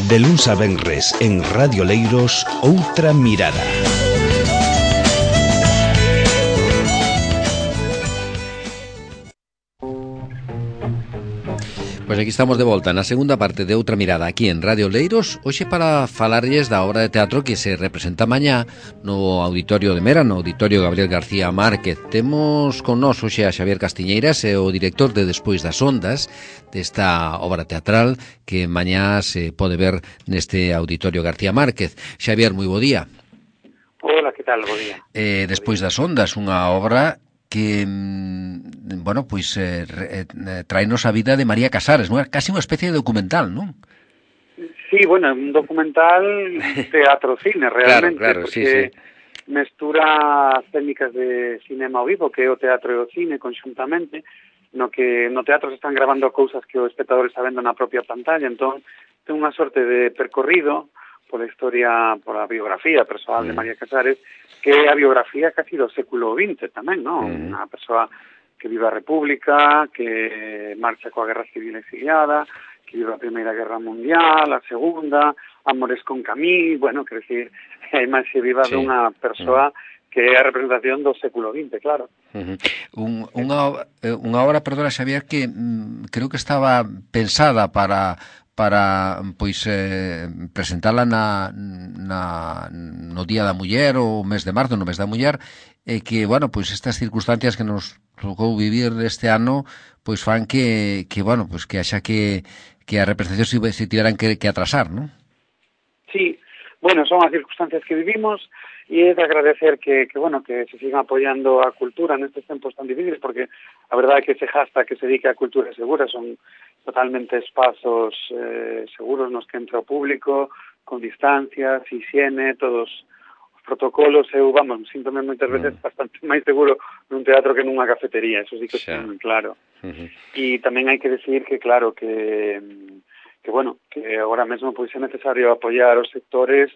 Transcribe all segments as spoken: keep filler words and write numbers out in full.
De luns a venres en Radio Leiros, Outra Mirada. Pois aquí estamos de volta na segunda parte de Outra Mirada aquí en Radio Leiros, hoxe para falarlles da obra de teatro que se representa mañá no Auditorio de Mera, no Auditorio Gabriel García Márquez. Temos con nós hoxe a Xavier Castiñeiras, é o director de Despois das Ondas, desta obra teatral que mañá se pode ver neste Auditorio García Márquez. Xavier, moi bo día. Hola, que tal? Bo día. Eh, Despois das Ondas, unha obra que, bueno, pois eh, eh, traenos a vida de María Casares, non? É casi unha especie de documental, non? Sí, bueno, un documental teatro-cine, realmente, claro, claro, porque sí, sí. mestura as técnicas de cinema ao vivo, que é o teatro e o cine conxuntamente, no que no teatro se están gravando cousas que o espectador está vendo na propia pantalla, entón ten unha sorte de percorrido pola historia, pola biografía persoal mm. de María Casares, que é a biografía casi do século vinte tamén, non? Mm. Unha persoa que vive a República, que marcha coa Guerra Civil exiliada, que vive a Primeira Guerra Mundial, a Segunda, Amores con Camille, bueno, quer decir, é máis se viva sí. dunha persoa mm. que é a representación do século vinte, claro. Uh-huh. Un, unha, unha obra, perdona, Xavier, que mm, creo que estaba pensada para... para pois eh, presentala na, na, no Día da Muller ou mes de marzo, no mes da Muller, e que, bueno, pois estas circunstancias que nos tocou vivir este ano, pois fan que, que bueno, pois que haxa que, que a representación se, se tiveran que, que atrasar, non? Sí, bueno, son as circunstancias que vivimos e é de agradecer que, que, bueno, que se sigan apoiando a cultura nestes tempos tan difíciles, porque a verdade é que ese hashtag que se dedica a cultura segura son totalmente espazos eh, seguros nos que entra o público, con distancias, higiene, todos os protocolos. Eu, vamos, síntome moitas veces mm. bastante máis seguro nun teatro que nunha cafetería, eso sí que está moi claro. Uh-huh. E tamén hai que decir que, claro, que, que bueno, que agora mesmo pois é necesario apoiar os sectores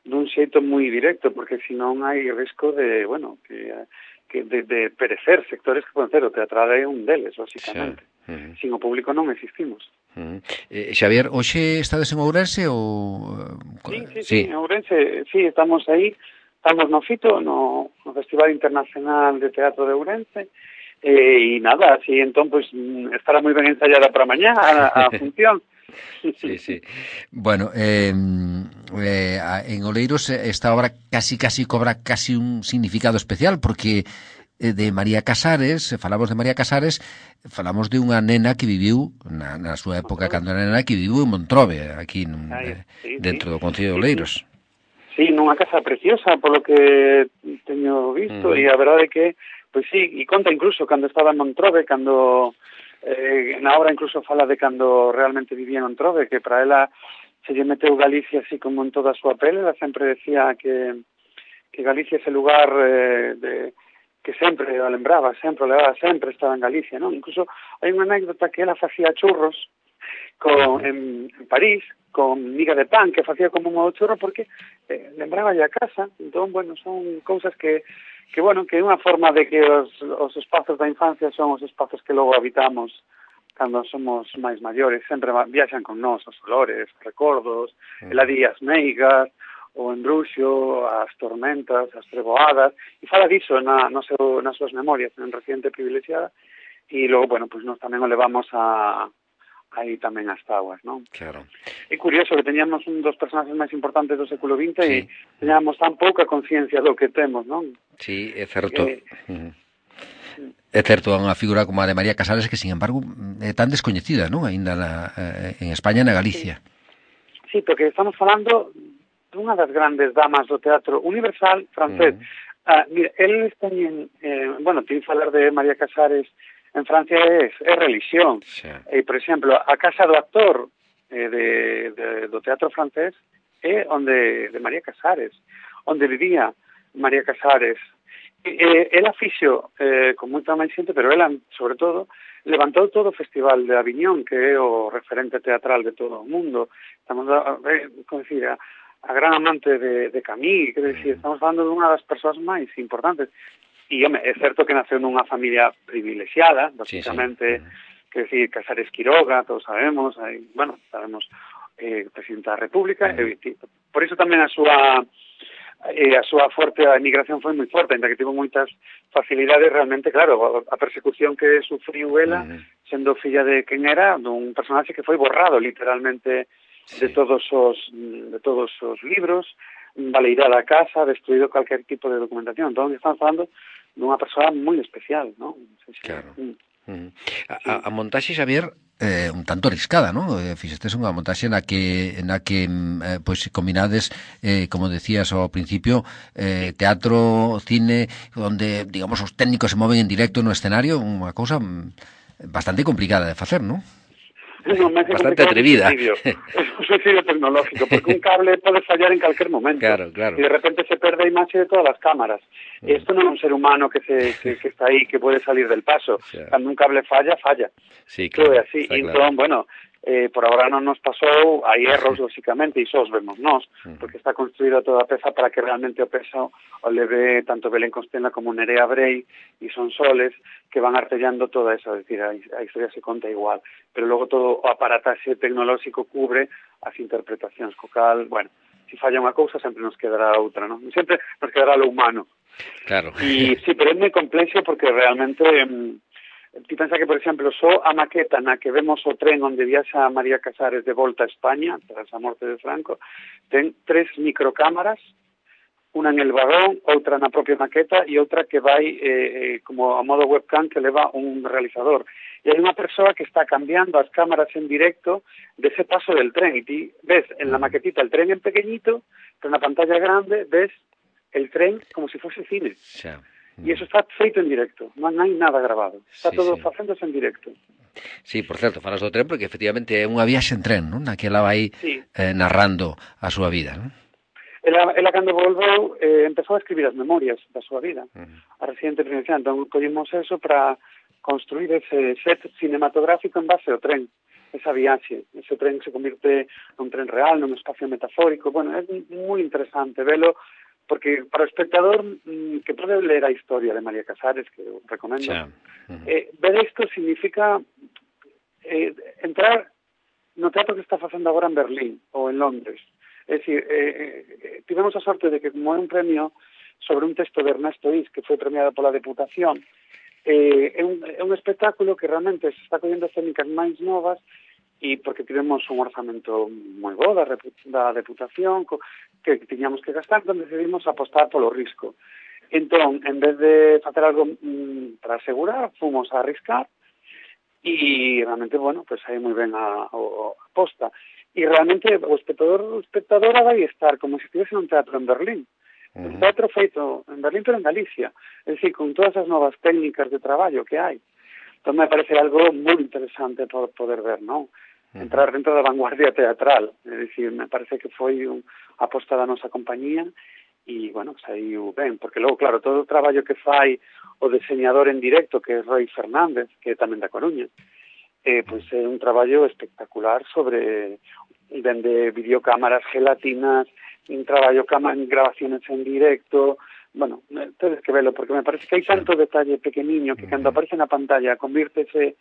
dun xeito moi directo, porque senón hai risco de, bueno, que, que de, de perecer sectores que poden ser, o teatral é un deles, basicamente. Sí. Uh-huh. Sin o público non existimos. Uh-huh. Eh, Xavier, hoxe estades en Ourense ou... Sí, sí, sí, sí, en Ourense, sí, estamos aí, estamos no FITO, no, no Festival Internacional de Teatro de Ourense, e, e nada, así entón, pois, estará moi ben ensayada para mañá a, a función. Sí, sí. Bueno, eh, eh, en Oleiros esta obra casi casi cobra casi un significado especial, porque de María Casares, falamos de María Casares, falamos de unha nena que viviu na, na súa época, cando era nena, que viviu en Montrobe, aquí nun, Ay, sí, dentro sí. do Concello de Oleiros. Sí, nunha casa preciosa, polo que teño visto, uh-huh. e a verdade é que, pois sí, e conta incluso cando estaba en Montrobe, cando... Eh, na obra incluso fala de cando realmente vivía en Montrobe, que para ela se lle meteu Galicia así como en toda a súa pele. Ela sempre decía que, que Galicia é ese lugar eh, de, que sempre a lembraba, sempre a levaba, sempre estaba en Galicia, non? Incluso hai unha anécdota que ela facía churros con, en, en París, con miga de pan, que facía como un modo churro porque eh, lembraba a casa. Entón, bueno, son cousas que que, bueno, que é unha forma de que os, os espazos da infancia son os espazos que logo habitamos cando somos máis maiores, sempre viaxan con nós os olores, os recordos, mm. el adí as meigas, o embruxo, as tormentas, as treboadas, e fala diso na, no seu, nas súas memorias, en Reciente Privilexiada, e logo, bueno, pois nos tamén o levamos a aí tamén as taguas, non? Claro. É curioso que teñamos un dos personaxes máis importantes do século vinte sí. e teñamos tan pouca conciencia do que temos, non? Sí, é certo. Que... Uh-huh. É certo, é unha figura como a de María Casares que, sin embargo, é tan descoñecida, non? Ainda na, eh, en España e na Galicia. Sí. sí, porque estamos falando dunha das grandes damas do teatro universal francés. Uh-huh. Ah, mira, eles teñen, eh, bueno, teñen falar de María Casares. En Francia é, é religión. Sí. E, por exemplo, a casa do actor eh, de, de, do teatro francés é onde de María Casares, onde vivía María Casares. E, e, ela fixo eh, con moita máis xente, pero ela, sobre todo, levantou todo o Festival de Aviñón, que é o referente teatral de todo o mundo. Estamos a, a, como decir, a, a gran amante de, de Camille, quer decir, estamos falando de unha das persoas máis importantes. E, home, é certo que naceu nunha familia privilexiada, basicamente, sí, sí. Uh-huh. Que decir, Casares Quiroga, todos sabemos, hai, bueno, sabemos eh, presidente da República, e, por iso tamén a súa e a súa forte a emigración foi moi forte, ainda que tivo moitas facilidades, realmente, claro, a persecución que sufriu ela, uh-huh. sendo filla de quen era, dun personaxe que foi borrado literalmente sí. de todos os de todos os libros, baleirada a casa, destruído calquer tipo de documentación. Entón, estamos falando dunha persoa moi especial, non? Sí, sí. Claro. Mm. Uh-huh. A, a montaxe, Xavier, eh, un tanto arriscada, non? Eh, fixestes unha montaxe na que na que eh, pois combinades, eh, como decías ao principio, eh, teatro, cine, onde, digamos, os técnicos se moven en directo no escenario, unha cousa bastante complicada de facer, non? No, bastante atrevida. Es un suicidio tecnológico, porque un cable pode fallar en calquer momento. Claro, claro. Y de repente se perde a imaxe de todas as cámaras. Mm. Esto non é un ser humano que se que, que está aí, que pode salir del paso. O sea, cando un cable falla, falla. Sí, claro. Todo así. Y entón, claro. bueno, eh, por ahora non nos pasou, hai erros, lógicamente, e só os vemos nós, porque está construída toda a peza para que realmente o peso o leve tanto Belén Constenla como Nerea Brei e Son Soles, que van artellando toda esa, es decir, a, a historia se conta igual, pero logo todo o aparataxe tecnolóxico cubre as interpretacións, co cal, bueno, se falla unha cousa sempre nos quedará outra, non? Sempre nos quedará lo humano. Claro. E sí, pero é moi complexo porque realmente eh, ti pensa que, por exemplo, só a maqueta na que vemos o tren onde viaxa María Casares de volta a España, tras a morte de Franco, ten tres microcámaras, unha en el vagón, outra na propia maqueta e outra que vai eh, como a modo webcam que leva un realizador. E hai unha persoa que está cambiando as cámaras en directo dese paso del tren. E ti ves en la maquetita el tren en pequeñito, pero na pantalla grande ves el tren como se si fose cine. Xa. E iso está feito en directo, non hai nada grabado. Está sí, todo sí. facéndose en directo. Sí, por certo, falas do tren porque efectivamente é unha viaxe en tren, non? Na que ela vai sí. eh, narrando a súa vida, non? Ela, ela cando volveu, eh, empezou a escribir as memorias da súa vida. Uh-huh. A residente provincial, entón collimos eso para construir ese set cinematográfico en base ao tren, esa viaxe. Ese tren se convirte nun tren real, nun espacio metafórico. Bueno, é moi interesante velo, porque para o espectador mmm, que pode ler a historia de María Casares, que eu recomendo, uh-huh. eh, ver isto significa eh, entrar no teatro que está facendo agora en Berlín ou en Londres. É dicir, eh, eh, tivemos a sorte de que como é un premio sobre un texto de Ernesto Is, que foi premiado pola Deputación, eh, é, un, é un espectáculo que realmente se está collendo técnicas máis novas e porque tivemos un orzamento moi bo da, da Deputación co, que tiñamos que gastar, entón decidimos apostar polo risco. Entón, en vez de facer algo mm, para asegurar, fomos a arriscar e realmente, bueno, pues aí moi ben a, a, a aposta. E realmente o espectador, o espectadora vai estar como se estivese nun teatro en Berlín. Uh-huh. Un teatro feito en Berlín, pero en Galicia. É dicir, con todas as novas técnicas de traballo que hai. Entón me parece algo moi interesante por poder ver, non? Entrar dentro da vanguardia teatral. É dicir, me parece que foi un aposta da nosa compañía e, bueno, saiu ben. Porque logo, claro, todo o traballo que fai o diseñador en directo, que é Roy Fernández, que é tamén da Coruña, eh, pois é un traballo espectacular sobre dende videocámaras gelatinas, un traballo en grabaciones en directo. Bueno, tedes que velo, porque me parece que hai tanto detalle pequeniño que cando aparece na pantalla convírtese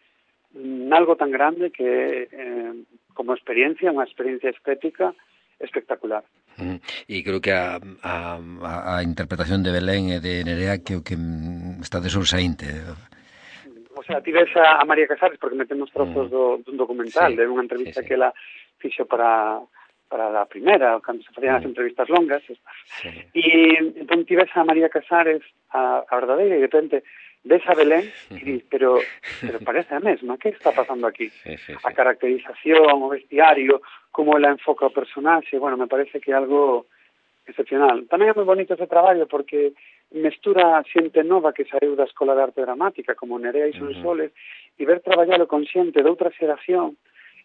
en algo tan grande que eh, como experiencia, unha experiencia estética espectacular. Mm, e creo que a, a, a interpretación de Belén e de Nerea que o que está de sobresaínte. O sea, ti ves a, a María Casares porque metemos trozos mm. do, dun documental, sí, de unha entrevista sí, sí. que ela fixo para para a primeira, cando se facían mm. as entrevistas longas. Sí. E entón ti ves a María Casares, a, a verdadeira, e de repente ves a Belén e dis, pero, pero parece a mesma, que está pasando aquí? Sí, sí, sí. A caracterización, o vestiario, como ela enfoca o personaxe, bueno, me parece que é algo excepcional. Tamén é moi bonito ese traballo porque mestura xente nova que saiu da Escola de Arte Dramática, como Nerea e Son Soles, uh-huh. e ver traballalo con xente de outra xeración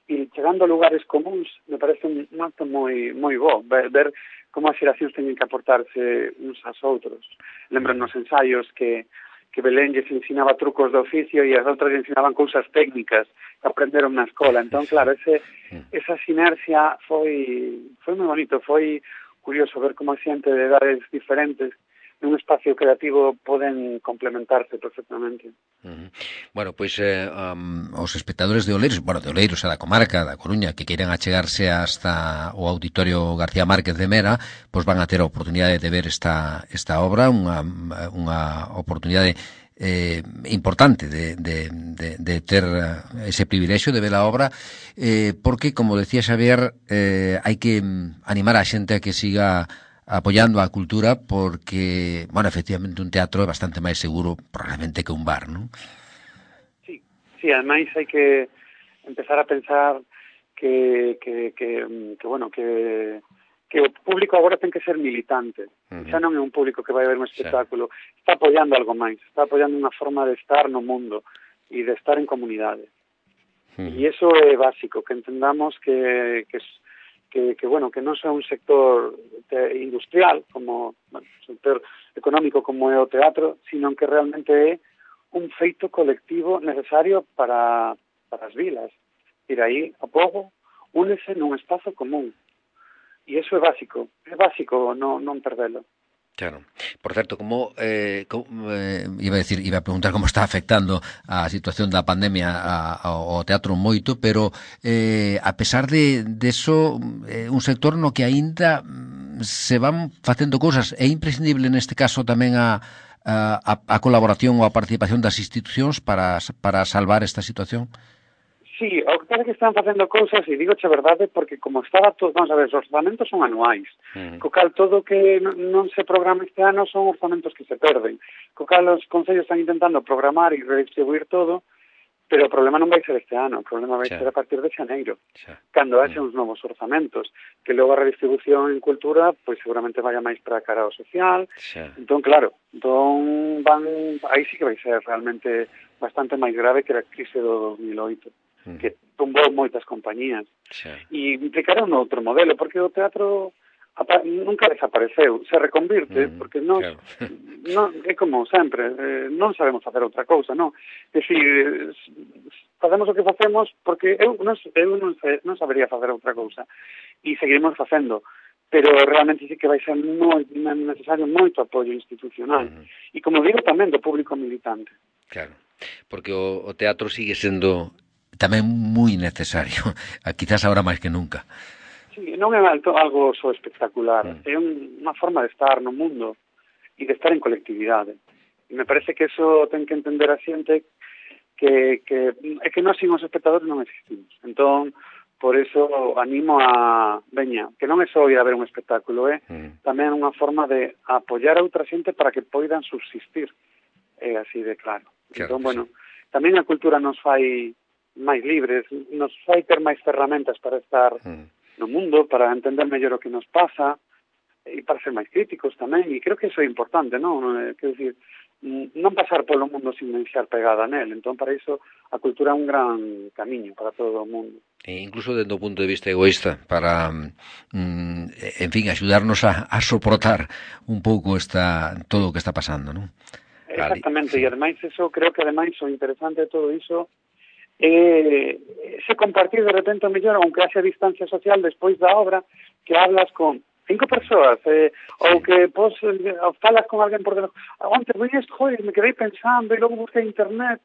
e chegando a lugares comuns, me parece un acto moi moi bo, ver, ver como as xeracións teñen que aportarse uns aos outros. Lembro nos ensaios que que Belén lles ensinaba trucos de oficio e as outras lles ensinaban cousas técnicas que aprenderon na escola. Entón, claro, ese, esa sinerxia foi foi moi bonito, foi curioso ver como a xente de edades diferentes nun espacio creativo poden complementarse perfectamente. Uh-huh. Bueno, pois eh, um, os espectadores de Oleiros, bueno, de Oleiros e da comarca da Coruña que queiran achegarse hasta o Auditorio García Márquez de Mera, pois van a ter a oportunidade de ver esta esta obra, unha unha oportunidade eh, importante de, de, de, de ter ese privilexio de ver a obra, eh, porque, como decía Xavier, eh, hai que animar a xente a que siga apoyando a cultura, porque, bueno, efectivamente un teatro é bastante máis seguro probablemente que un bar, non? Sí, sí, ademais hai que empezar a pensar que, que, que, que bueno, que que o público agora ten que ser militante. Uh-huh. Xa non é un público que vai ver un espectáculo, sí. Está apoiando algo máis, está apoiando unha forma de estar no mundo e de estar en comunidade. Uh-huh. E iso é básico, que entendamos que, que, que, que bueno, que non é un sector industrial, como bueno, un sector económico como é o teatro, sino que realmente é un feito colectivo necesario para, para as vilas. Ir aí, a pouco, únese nun espazo común. E iso é básico, é básico non, non perdelo. Claro. Por certo, como, eh, como eh, iba a decir, iba a preguntar como está afectando a situación da pandemia a, a, ao teatro moito, pero eh, a pesar de, de eso, eh, un sector no que aínda se van facendo cousas, é imprescindible neste caso tamén a, a, a colaboración ou a participación das institucións para, para salvar esta situación? Sí, o que pasa que están facendo cousas, e digo a verdade, porque como estaba todo, vamos a ver, os orzamentos son anuais, uh-huh. Co cal todo que non se programa este ano son orzamentos que se perden, co cal os concellos están intentando programar e redistribuir todo, pero o problema non vai ser este ano, o problema vai sí. ser a partir de xaneiro, sí. Cando haxe uh-huh. uns novos orzamentos, que logo a redistribución en cultura, pois seguramente vaya máis para a cara ao social, sí. Entón, claro, entón van, aí sí que vai ser realmente bastante máis grave que a crise do dos mil oito. Que tumbou moitas compañías sí. E implicará un outro modelo, porque o teatro nunca desapareceu, se reconvirte, mm, porque nos, claro. non, é como sempre, eh, non sabemos facer outra cousa, non? É dicir, facemos o que facemos porque eu non, eu non, non sabería facer outra cousa e seguiremos facendo, pero realmente sí que vai ser moi necesario moito apoio institucional mm. E como digo tamén do público militante. Claro, porque o, o teatro sigue sendo tamén moi necesario, quizás ahora máis que nunca. Sí, non é algo só espectacular, mm. é un, unha forma de estar no mundo e de estar en colectividade. E me parece que eso ten que entender a xente que, que é que nós sin os espectadores non existimos. Entón, por eso animo a, veña, que non é só ir a ver un espectáculo, é mm. tamén unha forma de apoiar a outra xente para que poidan subsistir. É así de claro. Claro entón, bueno, sí. Tamén a cultura nos fai máis libres, nos fai ter máis ferramentas para estar mm. no mundo, para entender mellor o que nos pasa e para ser máis críticos tamén, e creo que iso é importante, non? Quero dicir, non pasar polo mundo sin deixar pegada nel, entón para iso a cultura é un gran camiño para todo o mundo. E incluso desde o punto de vista egoísta, para, mm, en fin, axudarnos a, a soportar un pouco esta, todo o que está pasando, non? Exactamente, vale. E ademais eso, creo que ademais o interesante de todo iso Eh, se compartir de repente o mellor, aunque haxe distancia social despois da obra, que hablas con cinco persoas, eh, sí. Ou que pos, falas con alguén por debaixo. Onte, voy a joder, me quedei pensando e logo busquei internet.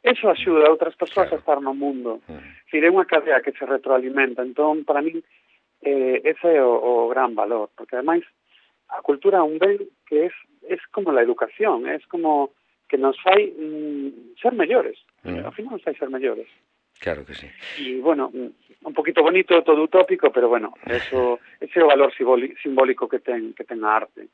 Eso axuda a outras persoas claro. A estar no mundo. Uh-huh. Dicir, é unha cadea que se retroalimenta. Entón, para mí, eh, ese é o, o gran valor, porque ademais a cultura é un ben que é es como la educación, é como que nos fai mm, ser mellores. Mm. Ao final nos fai ser mellores. Claro que sí. E, bueno, un poquito bonito, todo utópico, pero, bueno, eso, ese é o valor simbólico que ten, que ten a arte.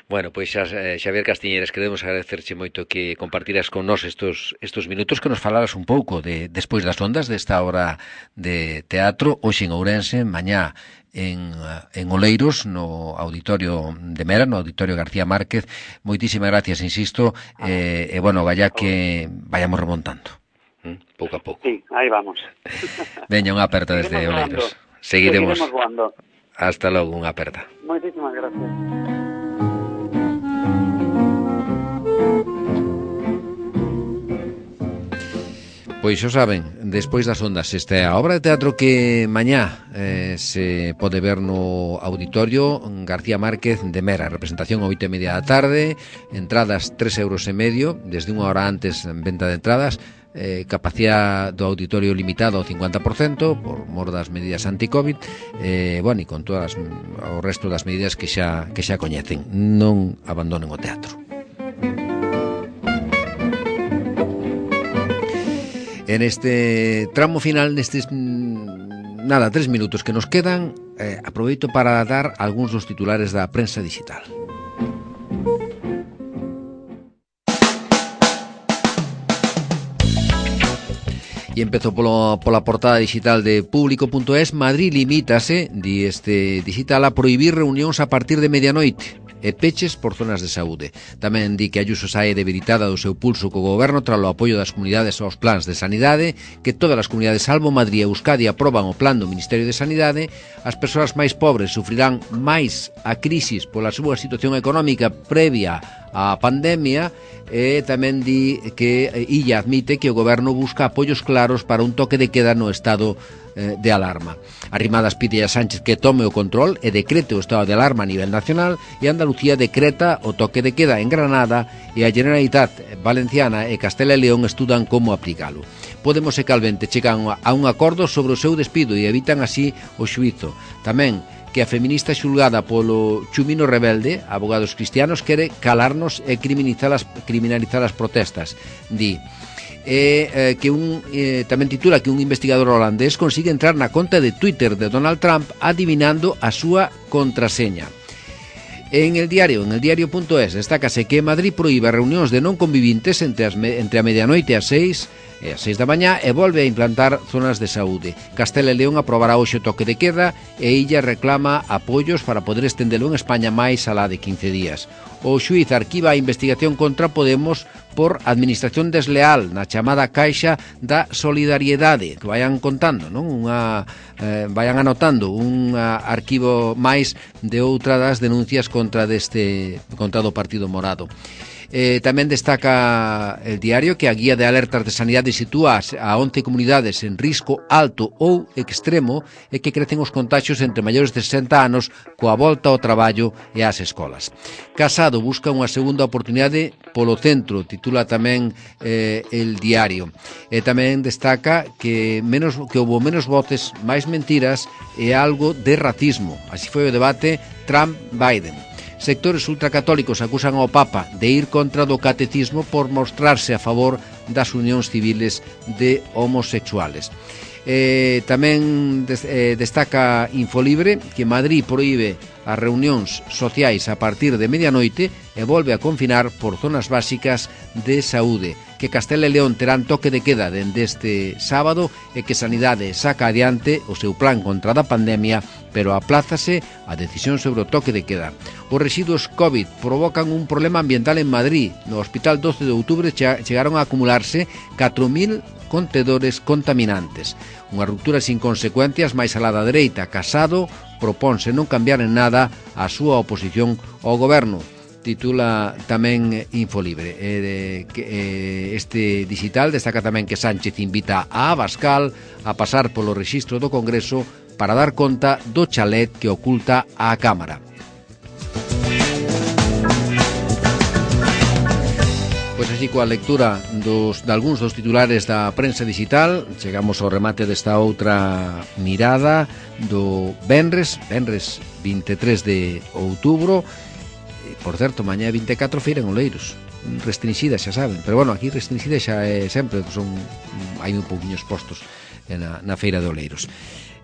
Bueno, pois xa, Xavier Castiñeiras, queremos agradecerche moito que compartiras con nós estos, estos minutos, que nos falaras un pouco de Despois das ondas, desta obra de teatro, hoxe en Ourense, mañá en, en Oleiros, no Auditorio de Mera, no Auditorio García Márquez. Moitísimas gracias, insisto, ah, e, eh, bueno, vaya que vayamos remontando, ¿Mm? pouco a pouco. Sí, aí vamos. Veña, unha aperta desde Oleiros. Seguiremos. Seguiremos Hasta logo, unha aperta. Moitísimas gracias. Pois xo saben, despois das ondas. Esta é a obra de teatro que mañá eh, se pode ver no Auditorio García Márquez de Mera. Representación a oito e media da tarde, entradas tres euros e medio, desde unha hora antes en venta de entradas. Eh, capacidade do auditorio limitado ao cincuenta por cento por mor das medidas anti-Covid, eh, bueno, e con todas o resto das medidas que xa, que xa coñecen. Non abandonen o teatro. En este tramo final, nestes nada, tres minutos que nos quedan, eh, aproveito para dar algúns dos titulares da prensa digital. E empezo polo, pola portada digital de público punto es. Madrid limítase, di este digital, a prohibir reunións a partir de medianoite e peches por zonas de saúde. Tamén di que Ayuso sae debilitada do seu pulso co goberno tras o apoio das comunidades aos plans de sanidade, que todas as comunidades salvo Madrid e Euskadi aproban o plan do Ministerio de Sanidade. As persoas máis pobres sufrirán máis a crisis pola súa situación económica previa á pandemia. E tamén di que Illa admite que o goberno busca apoios claros para un toque de queda no estado eh, de alarma. Arrimadas pide a Sánchez que tome o control e decrete o estado de alarma a nivel nacional, e Andalucía decreta o toque de queda en Granada, e a Generalitat Valenciana e Castela e León estudan como aplicalo. Podemos e Calvente chegan a un acordo sobre o seu despido e evitan así o xuízo. Tamén que a feminista xulgada polo Chumino Rebelde, Abogados Cristianos, quere calarnos e criminalizar as, criminalizar as protestas. Di e, eh, que un eh, tamén titula que un investigador holandés consigue entrar na conta de Twitter de Donald Trump adivinando a súa contraseña. En el diario, en el diario punto es, destácase que Madrid proíbe reunións de non convivintes entre, as, entre a medianoite e as seis e as seis da mañá e volve a implantar zonas de saúde. Castela e León aprobará hoxe o toque de queda e Illa reclama apoios para poder estendelo en España máis alá de quince días. O xuíz arquiva a investigación contra Podemos por administración desleal na chamada Caixa da Solidariedade. Que vayan contando, non? Unha, eh, vayan anotando un uh, arquivo máis de outra das denuncias contra deste contra do Partido Morado. Eh, tamén destaca el diario que a guía de alertas de sanidade sitúa a once comunidades en risco alto ou extremo e que crecen os contaxios entre maiores de sesenta anos coa volta ao traballo e ás escolas. Casado busca unha segunda oportunidade polo centro, titula tamén eh, el diario. E tamén destaca que menos que houve menos voces, máis mentiras e algo de racismo. Así foi o debate Trump-Biden. Sectores ultracatólicos acusan ao Papa de ir contra do catecismo por mostrarse a favor das unións civiles de homosexuales. Eh, tamén des, eh, destaca Infolibre que Madrid proíbe as reunións sociais a partir de medianoite e volve a confinar por zonas básicas de saúde, que Castela e León terán toque de queda dende este sábado e que Sanidade saca adiante o seu plan contra a pandemia, pero aplázase a decisión sobre o toque de queda. Os residuos COVID provocan un problema ambiental en Madrid. No Hospital doce de outubro chegaron a acumularse catro mil contedores contaminantes. Unha ruptura sin consecuencias máis alá da dereita. Casado proponse non cambiar en nada a súa oposición ao goberno. Titula tamén Infolibre. Eh, que, eh, este digital destaca tamén que Sánchez invita a Abascal a pasar polo rexistro do Congreso para dar conta do chalet que oculta a Cámara. Pois así, coa lectura dos, de algúns dos titulares da prensa digital, chegamos ao remate desta outra mirada do Venres, Venres vinte e tres de outubro. Por certo, mañá vinte e catro feira en Oleiros, restringida, xa saben, pero bueno, aquí restringida xa é sempre, son hai un pouquiños postos na, na feira de Oleiros.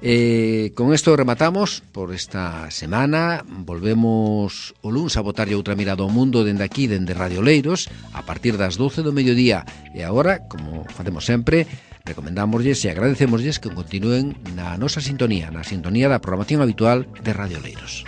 Eh, con isto rematamos por esta semana. Volvemos o luns a botarlle outra mirada ao mundo dende aquí, dende Radio Oleiros, a partir das doce do mediodía. E agora, como facemos sempre, recomendámoslles e agradecémoslles que continúen na nosa sintonía, na sintonía da programación habitual de Radio Oleiros.